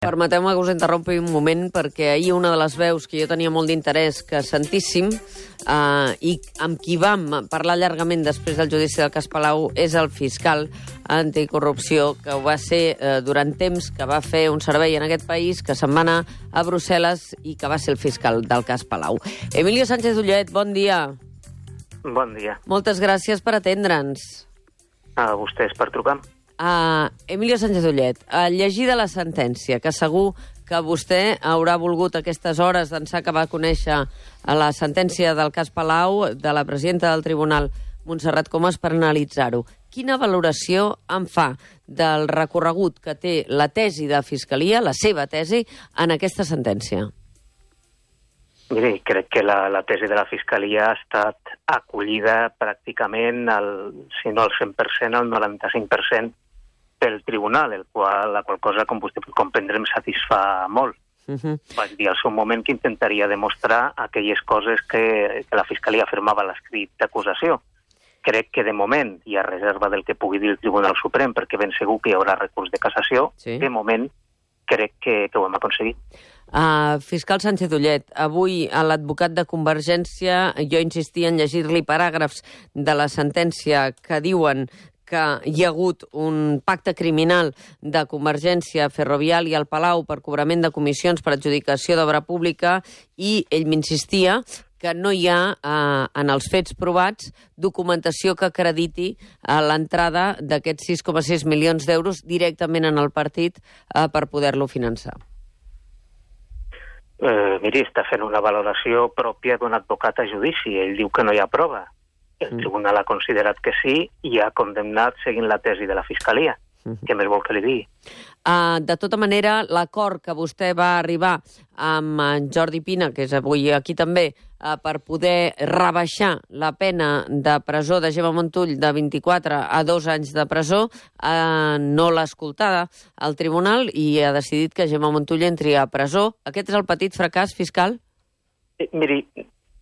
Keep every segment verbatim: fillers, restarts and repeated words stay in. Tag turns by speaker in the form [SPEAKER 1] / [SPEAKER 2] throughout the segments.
[SPEAKER 1] Permeteu-me que us interrompi un moment perquè ahir una de les veus que jo tenia molt d'interès que sentíssim eh, i amb qui vam parlar llargament després del judici del cas Palau és el fiscal anticorrupció, que ho va ser eh, durant temps, que va fer un servei en aquest país, que se'n va anar a Brussel·les i que va ser el fiscal del cas Palau. Emilio Sánchez Ullet, bon dia.
[SPEAKER 2] Bon dia.
[SPEAKER 1] Moltes gràcies per atendre'ns.
[SPEAKER 2] A vostès per trucar.
[SPEAKER 1] Uh, Emilio Sánchez Ullet, uh, llegida la sentència, que segur que vostè haurà volgut aquestes hores d'ençà que va conèixer la sentència del cas Palau de la presidenta del Tribunal, Montserrat Comas, per analitzar-ho. Quina valoració en fa del recorregut que té la tesi de Fiscalia, la seva tesi, en aquesta sentència?
[SPEAKER 2] Miri, crec que la, la tesi de la Fiscalia ha estat acollida pràcticament, al, si no al cent per cent, al noranta-cinc per cent pel tribunal, el qual, la qual cosa, com vostè pot comprendre, em satisfà molt. Uh-huh. Vaig dir al seu moment que intentaria demostrar aquelles coses que, que la Fiscalia afirmava a l'escrit d'acusació. Crec que de moment, i a reserva del que pugui dir el Tribunal Suprem, perquè ben segur que hi haurà recurs de cassació, sí. De moment crec que, que ho hem aconseguit.
[SPEAKER 1] Uh, fiscal Sánchez Ullet, avui a l'advocat de Convergència jo insistia en llegir-li paràgrafs de la sentència que diuen que hi ha hagut un pacte criminal de Convergència, Ferrovial i el Palau per cobrament de comissions per adjudicació d'obra pública, i ell m'insistia que no hi ha, eh, en els fets provats, documentació que acrediti eh, l'entrada d'aquests sis coma sis milions d'euros directament en el partit eh, per poder-lo finançar.
[SPEAKER 2] Eh, miri, està fent una valoració pròpia d'un advocat a judici. Ell diu que no hi ha prova. El tribunal ha considerat que sí i ha condemnat seguint la tesi de la Fiscalia. Uh-huh. Què més vol que li digui?
[SPEAKER 1] Uh, de tota manera, l'acord que vostè va arribar amb en Jordi Pina, que és avui aquí també, uh, per poder rebaixar la pena de presó de Gemma Montull de vint-i-quatre a dos anys de presó, uh, no l'ha escoltada al tribunal i ha decidit que Gemma Montull entri a presó. Aquest és el petit fracàs fiscal?
[SPEAKER 2] Eh, miri...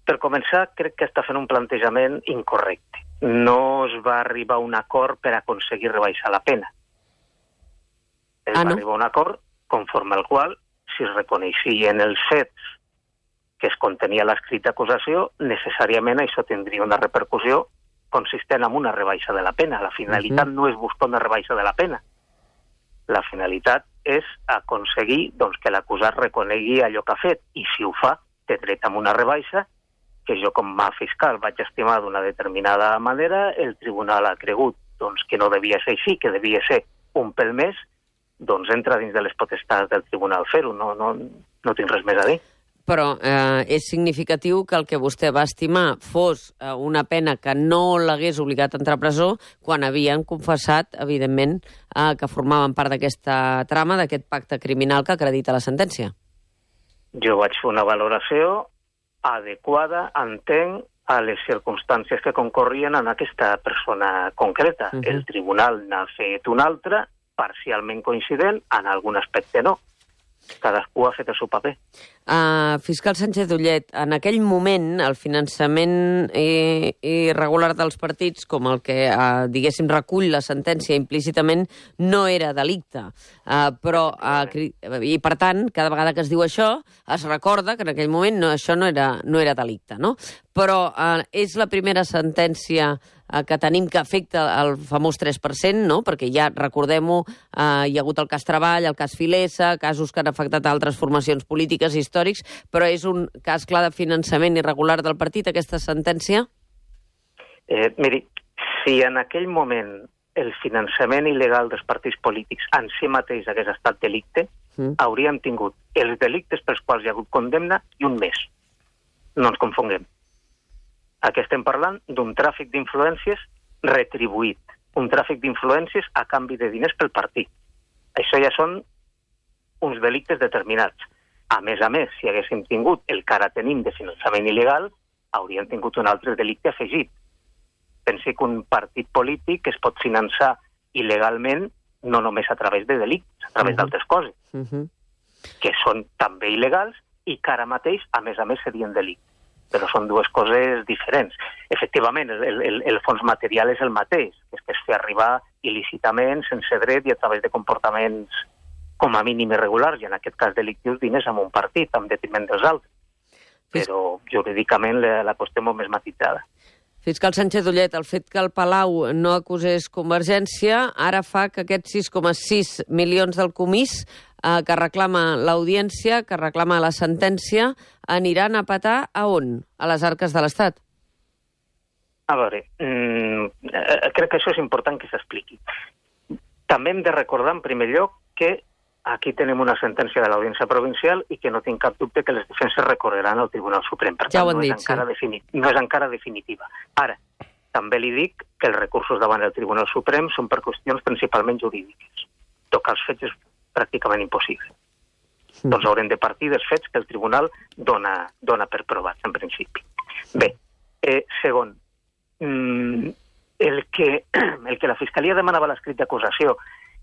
[SPEAKER 2] Per començar, crec que està fent un plantejament incorrecte. No es va arribar a un acord per aconseguir rebaixar la pena. Es ah, no? va arribar a un acord conforme al qual, si es reconeixien els fets que es contenia l'escrit d'acusació, necessàriament això tindria una repercussió consistent en una rebaixa de la pena. La finalitat uh-huh. no és buscar una rebaixa de la pena. La finalitat és aconseguir doncs, que l'acusat reconegui allò que ha fet, i si ho fa, té dret a una rebaixa que jo com a fiscal vaig estimar d'una determinada manera, el tribunal ha cregut doncs, que no devia ser així, que devia ser un pèl més, doncs entra dins de les potestats del tribunal fer-ho, no, no, no tinc res més a dir.
[SPEAKER 1] Però eh, és significatiu que el que vostè va estimar fos eh, una pena que no l'hagués obligat a entrar a presó quan havien confessat, evidentment, eh, que formaven part d'aquesta trama, d'aquest pacte criminal que acredita la sentència.
[SPEAKER 2] Jo vaig fer una valoració adequada, entenc, a les circumstàncies que concorrien en aquesta persona concreta. Uh-huh. El tribunal n'ha fet una altra, parcialment coincident, en algun aspecte no. Cadascú ha fet el seu paper.
[SPEAKER 1] Uh, fiscal Sánchez Ullet, en aquell moment el finançament eh, irregular dels partits, com el que, uh, diguéssim, recull la sentència implícitament, no era delicte. Uh, però, uh, i per tant, cada vegada que es diu això, es recorda que en aquell moment no, això no era, no era delicte, no? Però uh, és la primera sentència uh, que tenim que afecta el famós tres per cent, no? Perquè ja, recordem-ho, uh, hi ha hagut el cas Treball, el cas Filesa, casos que han afectat a altres formacions polítiques i històrics, però és un cas clar de finançament irregular del partit, aquesta sentència?
[SPEAKER 2] Eh, miri, si en aquell moment el finançament il·legal dels partits polítics en si mateix hagués estat delicte, mm. hauríem tingut els delictes pels quals hi ha hagut condemna i un més. No ens confonguem. Aquí estem parlant d'un tràfic d'influències retribuït, un tràfic d'influències a canvi de diners pel partit. Això ja són uns delictes determinats. A més a més, si haguéssim tingut el que ara tenim de finançament il·legal, hauríem tingut un altre delicte afegit. Pensi que un partit polític es pot finançar il·legalment no només a través de delictes, a través uh-huh. d'altres coses, uh-huh. que són també il·legals i que ara mateix, a més a més, serien delictes. Però són dues coses diferents. Efectivament, el, el, el fons material és el mateix, és que es fer arribar il·lícitament, sense dret i a través de comportaments com a mínim irregulars, i en aquest cas delictius, diners amb un partit, en detriment dels altres. Però jurídicament la, la qüestió és molt més matitzada.
[SPEAKER 1] Fiscal Sánchez Ullet, el fet que el Palau no acusés Convergència ara fa que aquests sis coma sis milions del comís eh, que reclama l'audiència, que reclama la sentència, aniran a petar a on? A les arques de l'Estat?
[SPEAKER 2] A veure, mmm, eh, crec que això és important que s'expliqui. També hem de recordar, en primer lloc, que aquí tenim una sentència de l'Audiència Provincial i que no tinc cap dubte que les defenses recorreran al Tribunal Suprem. Per
[SPEAKER 1] ja
[SPEAKER 2] tant,
[SPEAKER 1] ho han
[SPEAKER 2] no,
[SPEAKER 1] dit,
[SPEAKER 2] és encara
[SPEAKER 1] sí.
[SPEAKER 2] defini- no és encara definitiva. Ara, també li dic que els recursos davant del Tribunal Suprem són per qüestions principalment jurídiques. Tocar els fets és pràcticament impossible. Mm. Doncs haurem de partir dels fets que el Tribunal dona, dona per provats, en principi. Bé, eh, segon, mm, el, que, el que la Fiscalia demanava l'escrit d'acusació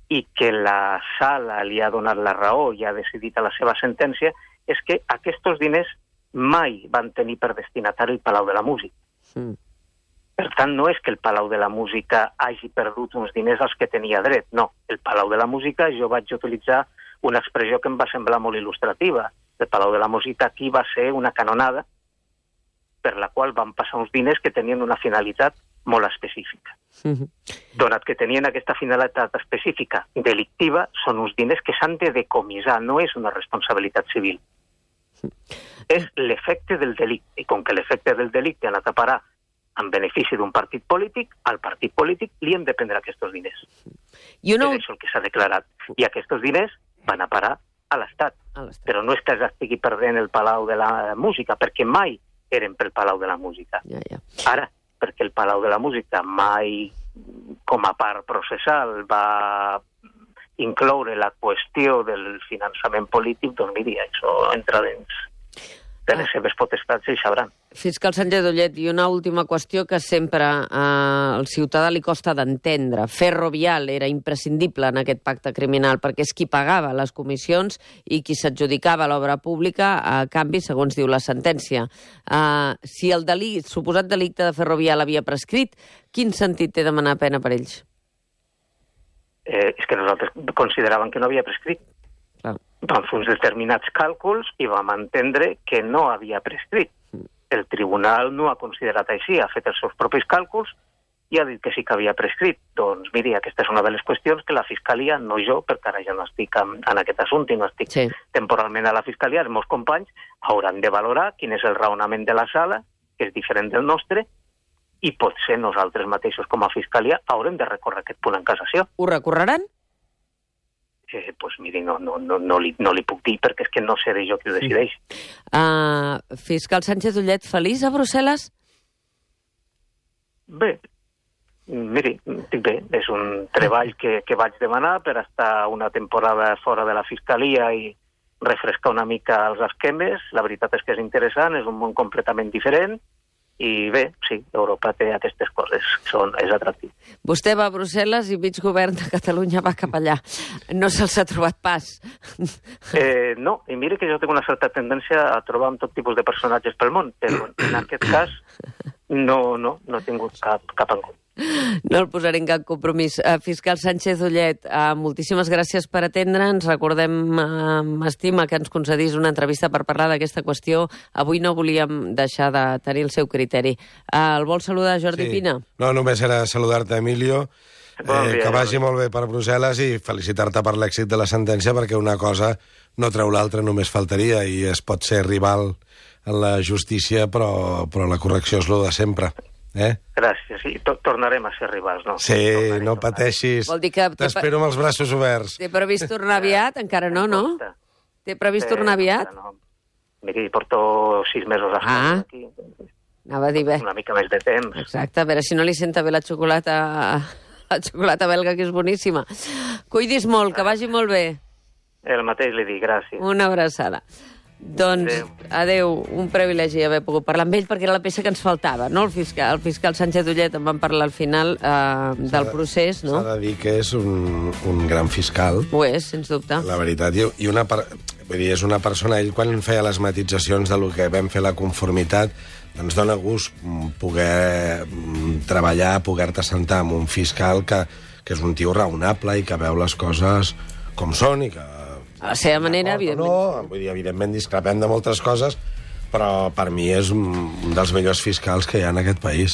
[SPEAKER 2] i que la sala li ha donat la raó i ha decidit a la seva sentència, és que aquests diners mai van tenir per destinatari el Palau de la Música. Mm. Per tant, no és que el Palau de la Música hagi perdut uns diners als que tenia dret, no. El Palau de la Música, jo vaig utilitzar una expressió que em va semblar molt il·lustrativa. El Palau de la Música aquí va ser una canonada per la qual van passar uns diners que tenien una finalitat molt específica. Mm-hmm. Donat que tenien aquesta finalitat específica delictiva, són uns diners que s'han de decomissar, no és una responsabilitat civil. Mm-hmm. És l'efecte del delicte, i com que l'efecte del delicte ha anat a parar en benefici d'un partit polític, al partit polític li hem de prendre aquests diners. I una... És això el que s'ha declarat. I aquests diners van a parar a l'Estat. Però no és que estigui perdent el Palau de la Música, perquè mai eren pel Palau de la Música.
[SPEAKER 1] Ja, ja.
[SPEAKER 2] Ara, perquè el Palau de la Música mai, com a part processal, va incloure la qüestió del finançament polític, doncs miri, això entra dins de les seves potestats i sabran.
[SPEAKER 1] Fiscal Sánchez Ullet, i una última qüestió que sempre eh, al ciutadà li costa d'entendre. Ferrovial era imprescindible en aquest pacte criminal perquè és qui pagava les comissions i qui s'adjudicava l'obra pública a canvi, segons diu la sentència. Eh, si el delit, suposat delicte de Ferrovial havia prescrit, quin sentit té demanar pena per ells?
[SPEAKER 2] Eh, és que nosaltres consideràvem que no havia prescrit. Clar. Vam fer uns determinats càlculs i vam entendre que no havia prescrit. El tribunal no ha considerat així, ha fet els seus propis càlculs i ha dit que sí que havia prescrit. Doncs miri, aquesta és una de les qüestions que la Fiscalia, no jo, perquè ara ja no estic en, en aquest assumpte, no estic sí. temporalment a la Fiscalia, els meus companys hauran de valorar quin és el raonament de la sala, que és diferent del nostre, i potser nosaltres mateixos com a Fiscalia haurem de recórrer aquest punt en cassació.
[SPEAKER 1] Ho recorreran?
[SPEAKER 2] Eh, pues miri, no, no, no, no, li, no li puc dir perquè és que no seré jo qui ho decideix.
[SPEAKER 1] Uh, Fiscal Sánchez Ullet, feliç a Brussel·les?
[SPEAKER 2] Bé, miri, estic bé. És un treball que, que vaig demanar per estar una temporada fora de la Fiscalia i refrescar una mica els esquemes. La veritat és que és interessant, és un món completament diferent. I bé, sí, Europa té aquestes coses, són, és atractiu.
[SPEAKER 1] Vostè va a Brussel·les i mig govern de Catalunya va cap allà. No se'ls ha trobat pas.
[SPEAKER 2] Eh, no, i mire que jo tinc una certa tendència a trobar amb tot tipus de personatges pel món, però en aquest cas no, no, no he tingut cap, cap en compte.
[SPEAKER 1] No el posaré en cap compromís. Uh, Fiscal Sánchez Ullet, uh, moltíssimes gràcies per atendre'ns. Recordem, uh, m'estima, que ens concedís una entrevista per parlar d'aquesta qüestió. Avui no volíem deixar de tenir el seu criteri. Uh, el vol saludar Jordi
[SPEAKER 3] sí.
[SPEAKER 1] Pina?
[SPEAKER 3] No, només era saludar-te, Emilio. Bon dia, eh, que vagi molt bé per Brussel·les i felicitar-te per l'èxit de la sentència, perquè una cosa no treu l'altra, només faltaria, i es pot ser rival en la justícia, però, però la correcció és lo de sempre. Eh?
[SPEAKER 2] Gràcies, sí. Tornarem a ser rivals, no?
[SPEAKER 3] Sí, tornarem, no pateixis.
[SPEAKER 1] Vol dir que
[SPEAKER 3] t'espero amb els braços oberts.
[SPEAKER 1] Té previst tornar aviat? Encara no, no? Té previst tornar aviat?
[SPEAKER 2] No. Miri, porto sis mesos a
[SPEAKER 1] ah.
[SPEAKER 2] aquí.
[SPEAKER 1] Anava a dir bé.
[SPEAKER 2] Una mica més de temps.
[SPEAKER 1] Exacte, a veure si no li senta bé la xocolata, la xocolata belga, que és boníssima. Cuidis molt, que vagi molt bé.
[SPEAKER 2] El mateix li dic, gràcies.
[SPEAKER 1] Una abraçada. Doncs, adeu. adeu, un privilegi haver pogut parlar amb ell, perquè era la peça que ens faltava, no? El fiscal, el fiscal Sánchez Ullet en van parlar al final eh, del procés, no?
[SPEAKER 3] S'ha de dir que és un, un gran fiscal.
[SPEAKER 1] Ho és, sens dubte.
[SPEAKER 3] La veritat, i una, vull dir, és una persona, ell quan feia les matitzacions de lo que vam fer la conformitat, doncs dona gust poder treballar, poder-te sentar amb un fiscal que, que és un tio raonable i que veu les coses com són i que
[SPEAKER 1] A la seva manera, evidentment.
[SPEAKER 3] No, vull dir, evidentment discrepem de moltes coses, però per mi és un dels millors fiscals que hi ha en aquest país.